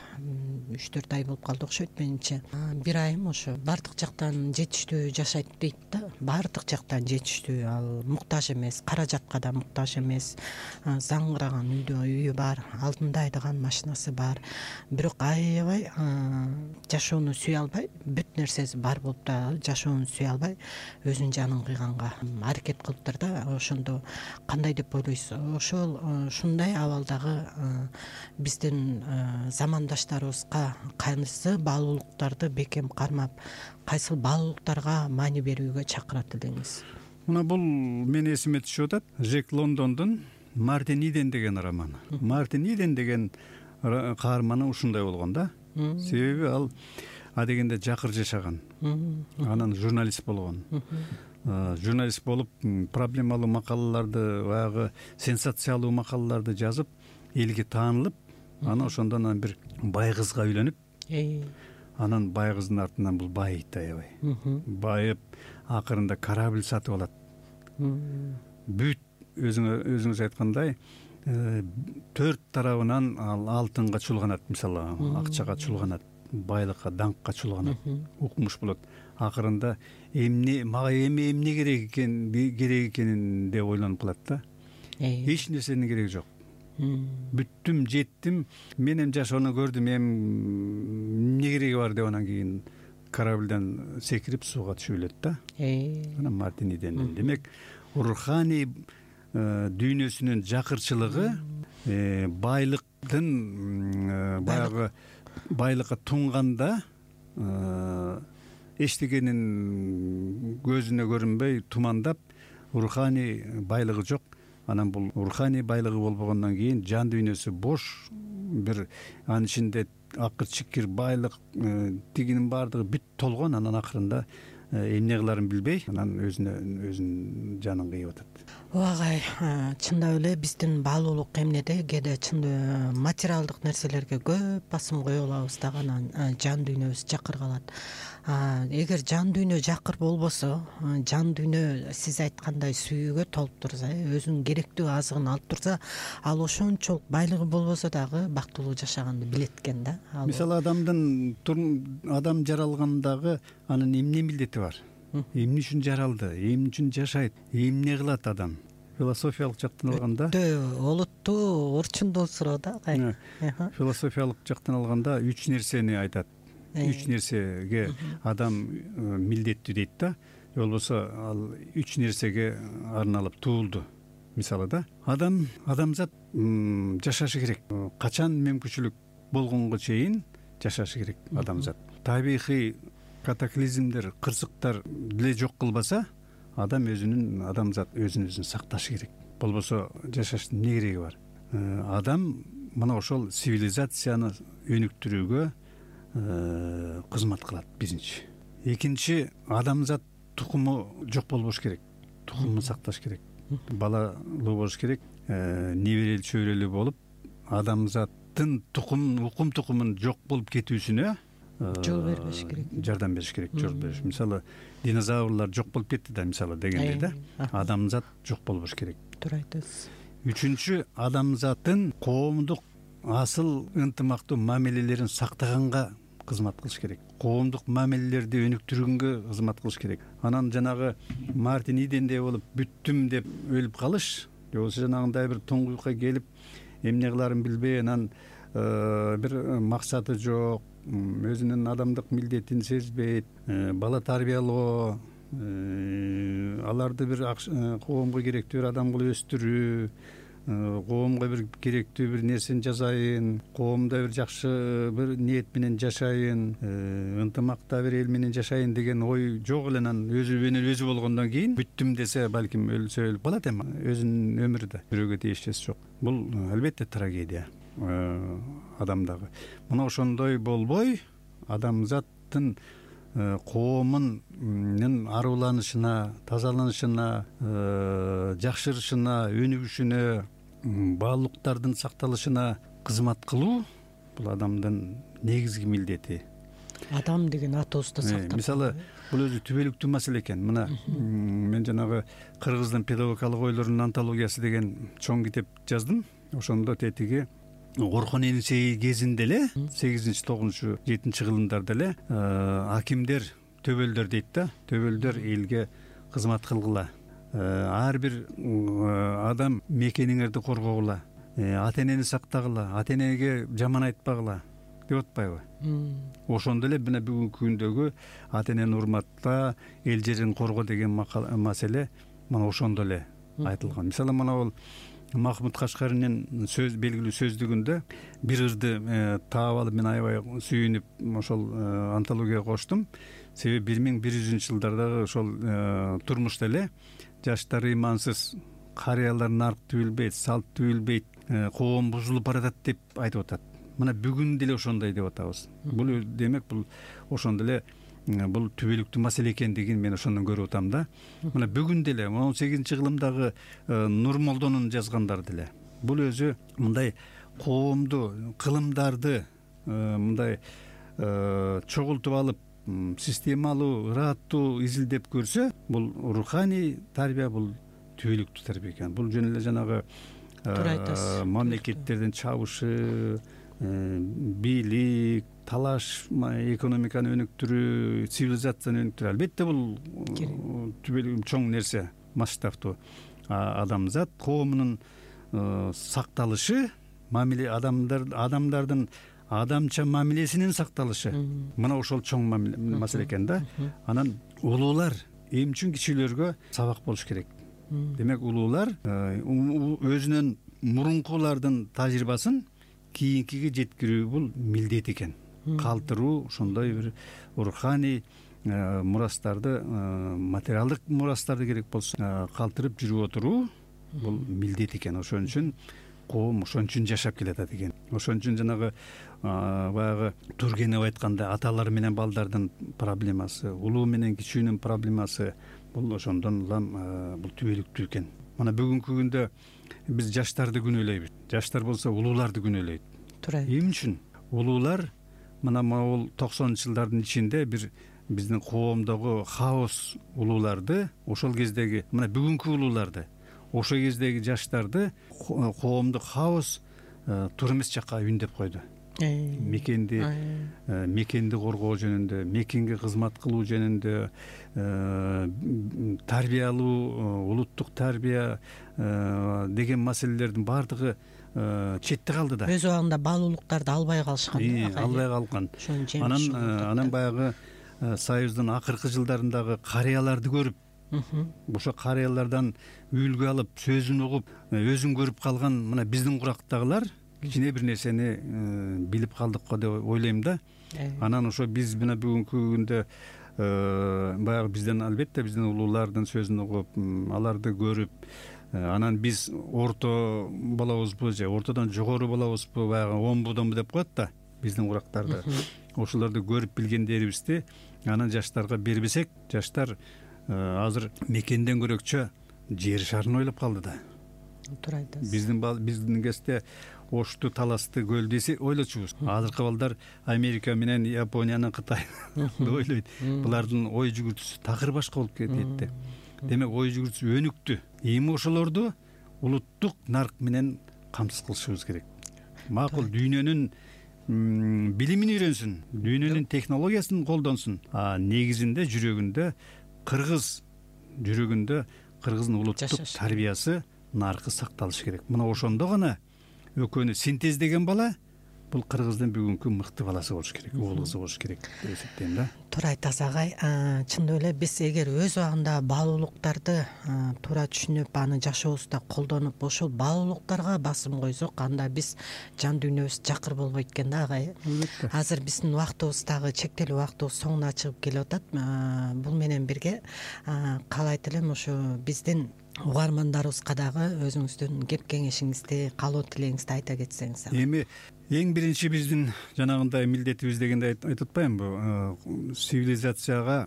Speaker 2: 3-4 ай болуп калды окшойт менимче. Бир айым ошо баардык жактан жетиштүү жашайт дейт да. Баардык жактан жетиштүү, ал муктаж эмес, каражатка да муктаж эмес. Заңгыраган үйү бар, алдында айдаган машинасы бар. Бирок аябай жашоону сүйө албай, бүт нерсеси бар болуп да жашоону сүйө албай, өзүнүн жанын кыйганга аракет кылыптыр да. Ошондо кандай деп ойлойсуз? Ушундай абалдагы биздин замандаштарыбызга кайсы баалуулуктарды бекем кармап, кайсы баалуулуктарга маани берүүгө чакырат элеңиз?
Speaker 3: Мына бул мен эсиме түшүп атат. Жек Лондондун Мартин Иден деген романы. Мартин Иден деген каарманы ушундай болгон да. Себеби ал адегенде жакыр жашаган. Анан журналист болгон. Журналист болуп, проблемалуу макалаларды, баягы сенсациялуу макалаларды жазып, элге таанылып, анан ошондон бир бай кызга үйлөнүп, анан бай кыздын артынан бул байыйт аябай. Байып, акырында корабль сатып алат. бүт өзүңүз айткандай 4 тарабынан ал алтынга чулганат, мисалы акчага чулганат, байлыкка, даңкка чулганат, укмуш болот. Акырында мага эмне керек экенин деп ойлонуп калат да. Эч нерсенин кереги жок. Бүттүм, жеттим, мен эми жашоону көрдүм, эмне кереги бар деп анан кийин корабльдан секирип сууга түшүп элет да. Анан Мартин Иден. Демек, руханий дүйнөсүнүн жакырчылыгы байлыктын баягы байлыкка тунганда эчтегенин көзүнө көрүнбөй тумандап, руханий байлыгы жок. Анан бул руханий байлыгы болбогондон кийин жан дүйнөсү бош, бир анын ичинде акыр чикир байлык, тигинин баардыгы бүт толгон. Анан акырында эмне кыларын билбей, анан өзүнүн жанын кыйып атат.
Speaker 2: Агай, чындап эле биздин баалуулук эмнеде кээде чын материалдык нерселерге көп басым кое алабыз дагы, анан жан дүйнөбүз жакыр калат. Эгер жан дүйнө жакыр болбосо, жан дүйнө сиз айткандай сүйүүгө толуп турса, өзүнүн керектүү азыгын алып турса, ал ошончолук байлыгы болбосо дагы бактылуу жашаганды билет экен да.
Speaker 3: Мисалы, адам жаралгандагы анын эмне милдети бар? Эмне үчүн жаралды? Эмне үчүн жашайт? Эмне кылат адам? Философиялык жактан алганда
Speaker 2: олуттуу, орчундуу суроо да.
Speaker 3: Философиялык жактан алганда 3 нерсени айтат. 3 нерсеге адам милдеттүү дейт да. Же болбосо ал 3 нерсеге арналып туулду. Мисалы да, адамзат жашашы керек. Качан мүмкүнчүлүк болгонго чейин жашашы керек адамзат. Табигый катаклизмдер, кырсыктар деле жок кылбаса, адамзат өзүн сакташы керек. Болбосо жашаштын эмне кереги бар? Адам мына ошол цивилизацияны өнүктүрүүгө кызмат кылат, биринчи. Экинчи, адамзат тукуму жок болбош керек. Тукумун сакташ керек. Балалуу болуш керек. Неберелүү чөйрөлүү болуп, адамзаттын укум тукумун жок болуп кетүүсүнө жол бербеш керек. Жардам бериш керек, жол бериш. Мисалы, динозаврлар жок болуп кетти да, мисалы дегенде да. Адамзат жок болбош керек.
Speaker 2: Туура айтасыз.
Speaker 3: Үчүнчү, адамзаттын коомдук асыл ынтымактуу мамилелерин сактаганга кызмат кылыш керек. Коомдук мамилелерди өнүктүргөнгө кызмат кылыш керек. Анан жанагы Мартин Идендей болуп бүттүм деп өлүп калыш, же болбосо жанагындай бир туңгуюкка келип эмне кыларын билбей, анан бир максаты жок, өзүнүн адамдык милдетин сезбейт, бала тарбиялоо, аларды бир коомго керектүү бир адам кылып өстүрүү, коомго бир керектүү бир нерсени жасайын, коомдо бир жакшы бир ниет менен жашайын, ынтымакта бир эл менен жашайын деген ой жок эле. Анан өзү болгондон кийин бүттүм десе, балким өлсө өлүп калат, эми өзүнүн өмүрү да бирөөгө тиешеси жок. Бул албетте трагедия адамдагы. Мына ошондой болбой, адамзаттын коомунун аруланышына, тазаланышына, жакшырышына, өнүгүшүнө, баалуулуктардын сакталышына кызмат кылуу — бул адамдын негизги милдети.
Speaker 2: Адам деген атыбызды сактап.
Speaker 3: Мисалы, бул өзү түбөлүктүү маселе экен. Мына мен жанагы кыргыздын педагогикалык ойлорунун антологиясы деген чоң китеп жаздым. Ошондо тетиги Орхон Энисей кезинде эле 8-9-7 кылымдарда эле акимдер, төбөлдөр дейт да, төбөлдөр элге кызмат кылгыла. Ар бир адам мекениңерди коргогула, ата энени сактагыла, ата энеге жаман айтпагыла деп атпайбы? Ошондо эле мына бүгүнкү күндөгү ата энени урматта, эл жерин корго деген маселе мына ошондо эле айтылган. Мисалы, мына бул Махмуд Кашкаринин белгилүү сөздүгүндө бир ырды таап алып, мен аябай сүйүнүп ошол антологияга коштум. Себеби 1100-жылдардагы ошол турмушта эле жаштары имансыз, карыялар нарк түбүлбейт, салт түбүлбейт, коом бузулуп баратат деп айтып атат. Мына бүгүн деле ошондой деп атабыз. Бул демек бул ошондо эле бул түбөлүктүү маселе экендигин мен ошондон көрүп атам да. Мына бүгүн деле 18-кылымдагы Нурмолдонун жазгандары деле бул өзү мындай коомду, кылымдарды мындай чогултуп алып, системалуу, ыраттуу изилдеп көрсө, бул руханий тарбия, бул түбөлүктүү тарбия экен. Бул жөн эле жанагы мамлекеттердин чабышы, бийлик, талаш, экономиканы өнүктүрүү, цивилизацияны өнүктүрүү албетте бул түбөлүк чоң нерсе, масштабтуу. Адамзат коомунун сакталышы, мамиле адамдардын адамча мамилесинин сакталышы мына ошол чоң маселе экен да. Анан улуулар эмчүн кичүүлөргө сабак болуш керек. Демек улуулар өзүнүн мурункулардын тажрыйбасын кийинкиге жеткирүү бул милдет экен. Калтыруу, ошондой бир руханий мурастарды, материалдык мурастарды керек болсо калтырып жүрүп отуруу бул милдет экен. Ошон үчүн коом ошон үчүн жашап келатат экен. Ошон үчүн жанагы баягы Тургенев айткандай аталар менен балдардын проблемасы, улуу менен кичүүнүн проблемасы бул ошондон улам бул түбөлүктүү экен. Мына бүгүнкү күндө биз жаштарды күнөөлөйбүз. Жаштар болсо улууларды күнөөлөйт. Эмне үчүн? Улуулар мына могул 90-жылдардын ичинде бир биздин коомдогу хаос улууларды, ошол кездеги мына бүгүнкү улууларды, ошол кездеги жаштарды коомдук хаос туура эмес жакка үндөп койду. Мекенди коргоо жөнүндө, мекенге кызмат кылуу жөнүндө, тарбиялуу, улуттук тарбия деген маселелердин баардыгы четте калды да.
Speaker 2: Өз убагында баалуулуктарды албай калышкан.
Speaker 3: Албай калган. Анан баягы Союздун акыркы жылдарындагы карыяларды көрүп, ошо карыялардан үлгү алып, сөзүн угуп, өзүн көрүп калган мына биздин курактагылар кичине бир нерсени билип калдык го деп ойлойм да. Анан ошо биз мына бүгүнкү күндө баягы бизден албетте биздин улуулардын сөзүн угуп, аларды көрүп, анан биз орто болобузбу же ортодон жогору болобузбу, баягы омбудонбу деп коет да биздин курактарды. Ошолорду көрүп билгендерибизди анан жаштарга бербесек, жаштар азыр мекенден көрөкчө жер шарын ойлоп калды да.
Speaker 2: Туура айтасыз.
Speaker 3: Биздин кезде Ошту, Таласты, Көлдү ойлочубуз. Азыркы балдар Америка менен Япониянын, Кытайын ойлойт. Булардын ой жүгүртүүсү такыр башка болуп кетти. Демек ой жүгүртүүсү өнүктү. Эми ошолорду улуттук нарк менен камсыз кылышыбыз керек. Макул дүйнөнүн билимин үйрөнсүн, дүйнөнүн технологиясын колдонсун. Негизинде жүрөгүндө кыргыздын улуттук тарбиясы, наркы сакталышы керек. Мына ошондо гана экөөнү синтездеген бала бул кыргыздын бүгүнкү мыкты баласы болуш керек, уул кызы болуш керек деп эсептейм да.
Speaker 2: Туура айтасыз агай. Чындап эле биз эгер өз убагында баалуулуктарды туура түшүнүп, аны жашообузда колдонуп, ошол баалуулуктарга басым койсок, анда биз жан дүйнөбүз жакыр болбойт экен да агай. Азыр биздин убактыбыз дагы чектелүү убактыбыз соңуна чыгып келип атат. Бул менен бирге каалайт элем ошо биздин угармандарыбызга дагы өзүңүздүн кеп кеңешиңизди, каалоо тилегиңизди айта кетсеңиз.
Speaker 3: Эми эң биринчи биздин жанагындай милдетибиз дегенде айтып атпаймынбы, цивилизацияга,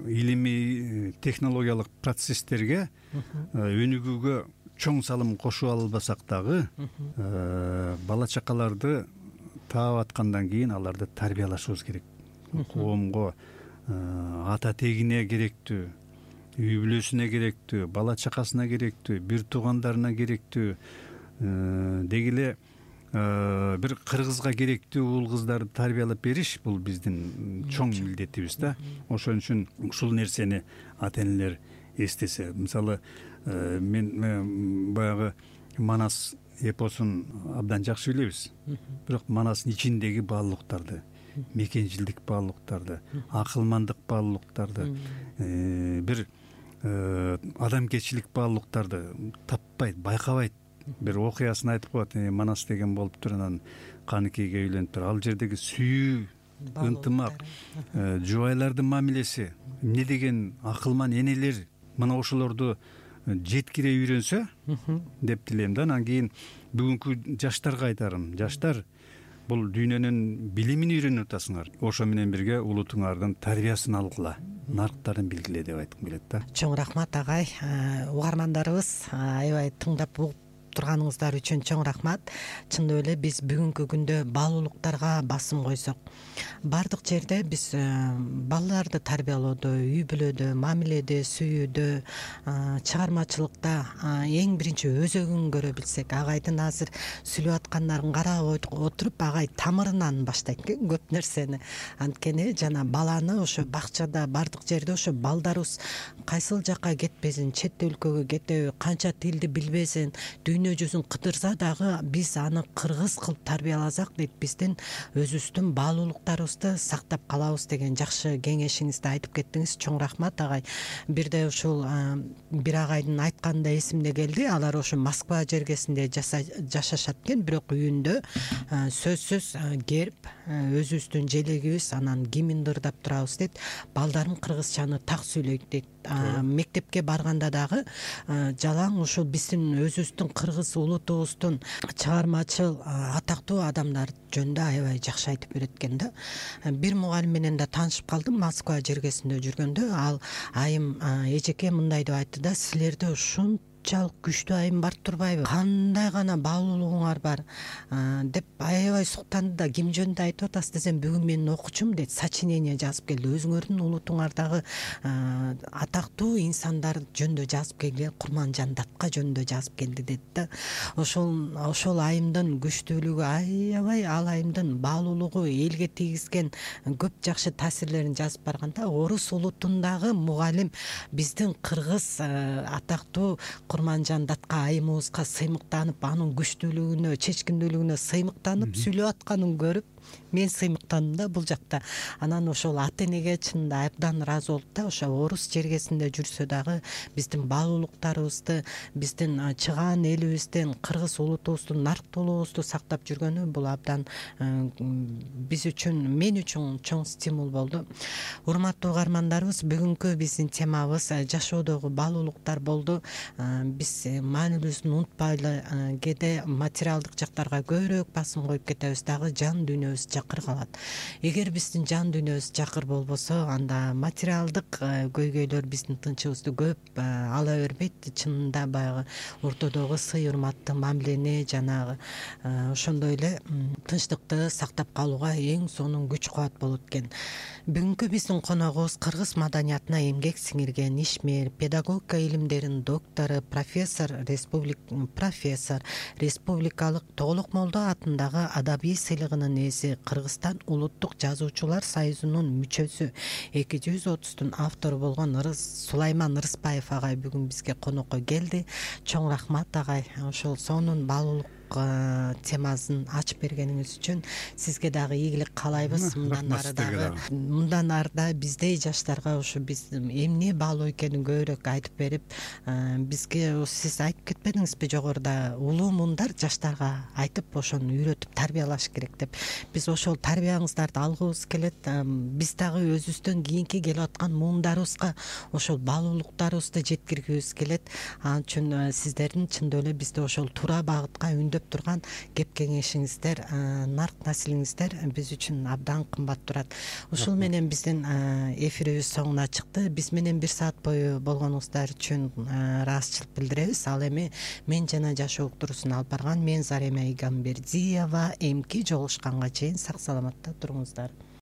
Speaker 3: илимий технологиялык процесстерге өнүгүүгө чоң салым кошуп албасак дагы, бала чакаларды таап аткандан кийин аларды тарбиялашыбыз керек. Коомго, ата тегине керектүү, үй бүлөсүнө керектүү, бала чакасына керектүү, бир туугандарына керектүү, деги эле бир кыргызга керектүү уул кыздарды тарбиялап бериш бул биздин чоң милдетибиз да. Ошон үчүн ушул нерсени ата энелер эстесе, мисалы мен баягы Манас эпосун абдан жакшы билебиз. Бирок Манастын ичиндеги баалуулуктарды, мекенчилдик баалуулуктарды, акылмандык баалуулуктарды, бир адамгерчилик баалуулуктарды таппайт, байкабайт. Бир окуясын айтып коет, Манас деген болуптур, анан каныкейге үйлөнүптүр. Ал жердеги сүйүү, ынтымак, жубайлардын мамилеси, эмне деген акылман энелер, мына ошолорду жеткире үйрөнсө деп тилейм да. Анан кийин бүгүнкү жаштарга айтарым, жаштар бул дүйнөнүн билимин үйрөнүп атасыңар. Ошо менен бирге улутуңардын тарбиясын алгыла, нарктарын билгиле деп айткым келет да.
Speaker 2: Чоң рахмат агай. Угармандарыбыз аябай тыңдап турганыңыздар үчүн чоң рахмат. Чындап эле биз бүгүнкү күндө баалуулуктарга басым койсок, бардык жерде биз балаларды тарбиялоодо, үй бүлөдө, мамиледе, сүйүүдө, чыгармачылыкта эң биринчи өзөгүн көрө билсек, агайдын азыр сүйлөп аткандарын карап отуруп, агай тамырынан баштайт экен көп нерсени. Анткени жана баланы ошо бакчада, бардык жерде ошо балдарыбыз кайсыл жакка кетпесин, чет өлкөгө кетеби, канча тилди билбесин, дүйнө жүзүн кыдырса дагы биз аны кыргыз кылып тарбияласак дейт, биздин өзүбүздүн баалуулуктарыбызды сактап калабыз деген жакшы кеңешиңизди айтып кеттиңиз. Чоң рахмат агай. Бирде ушул бир агайдын айтканы эсимде келди. Алар ошо Москва жергесинде жашашат экен, бирок үйүндө сөзсүз герб, өзүбүздүн желегибиз, анан гимнди ырдап турабыз дейт. Балдарым кыргызчаны так сүйлөйт дейт. Мектепке барганда дагы жалаң ушул биздин өзүбүздүн кыргыз улутубуздун чыгармачыл, атактуу адамдар жөнүндө аябай жакшы айтып берет экен да. Бир мугалим менен да таанышып калдым Москва жергесинде жүргөндө. Ал айым эжеке мындай деп айтты да: силерде ушунчалык күчтүү айым бар турбайбы? Кандай гана баалуулугуңар бар деп аябай суктанды да. Ким жөнүндө айтып атасыз десем, бүгүн менин окуучум дейт, сочинение жазып келди. Өзүңөрдүн улутуңардагы атактуу инсандар жөнүндө жазып келген, Курманжан Датка жөнүндө жазып келди дейт да. Ошол айымдын күчтүүлүгү аябай, ал айымдын баалуулугу, элге тийгизген көп жакшы таасирлерин жазып барганда, орус улутундагы мугалим биздин кыргыз атактуу Курманжан Датка айымыбызга сыймыктанып, анын күчтүүлүгүнө, чечкиндүүлүгүнө сыймыктанып сүйлөп атканын көрүп, мен сыймыктандым да бул жакта. Анан ошол ата энеге чынында абдан ыраазы болуп да, ошо орус жергесинде жүрсө дагы биздин баалуулуктарыбызды, биздин чыгаан элибиздин, кыргыз улутубуздун нарктуулугубузду сактап жүргөнү бул абдан биз үчүн, мен үчүн чоң стимул болду. Урматтуу угармандарыбыз, бүгүнкү биздин темабыз жашоодогу баалуулуктар болду. Биз маанилүүсүн унутпайлы, кээде материалдык жактарга көбүрөөк басым коюп кетебиз дагы, жан дүйнөбүз жакыр калат. Эгер биздин жан дүйнөбүз жакыр болбосо, анда материалдык көйгөйлөр биздин тынчыбызды көп ала бербейт. Чынында баягы ортодогу сый урматты, мамилени, жанагы ошондой эле тынчтыкты сактап калууга эң сонун күч кубат болот экен. Бүгүнкү биздин коногубуз кыргыз маданиятына эмгек сиңирген ишмер, педагогика илимдеринин доктору, профессор, республикалык Тоголокмолдо атындагы адабий сыйлыгынын ээси, Кыргызстан улуттук жазуучулар союзунун мүчөсү, 230-тун автору болгон Сулайман Ырысбаев агай бүгүн бизге конокко келди. Чоң рахмат агай, ошол сонун баалуулук темасын ачып бергениңиз үчүн сизге дагы ийгилик каалайбыз. Мындан ары да биздей жаштарга ошо биз эмне баалуу экенин көбүрөөк айтып берип, бизге сиз айтып кетпедиңизби жогоруда, улуу муундар жаштарга айтып, ошону үйрөтүп тарбиялаш керек деп. Биз ошол тарбияңыздарды алгыбыз келет. Биз дагы өзүбүздөн кийинки келип аткан муундарыбызга ошол баалуулуктарыбызды жеткиргибиз келет. Ал үчүн сиздердин чындап эле бизди ошол туура багытка үндөп турган кеп кеңешиңиздер, нарк насилиңиздер биз үчүн абдан кымбат турат. Ушул менен биздин эфирибиз соңуна чыкты. Биз менен 1 саат бою болгонуңуздар үчүн ыраазычылык билдиребиз. Ал эми мен жана жашоо уктуруусун алып барган мен Зарема Игамбердиева. Эмки жолугушканга чейин сак саламатта туруңуздар.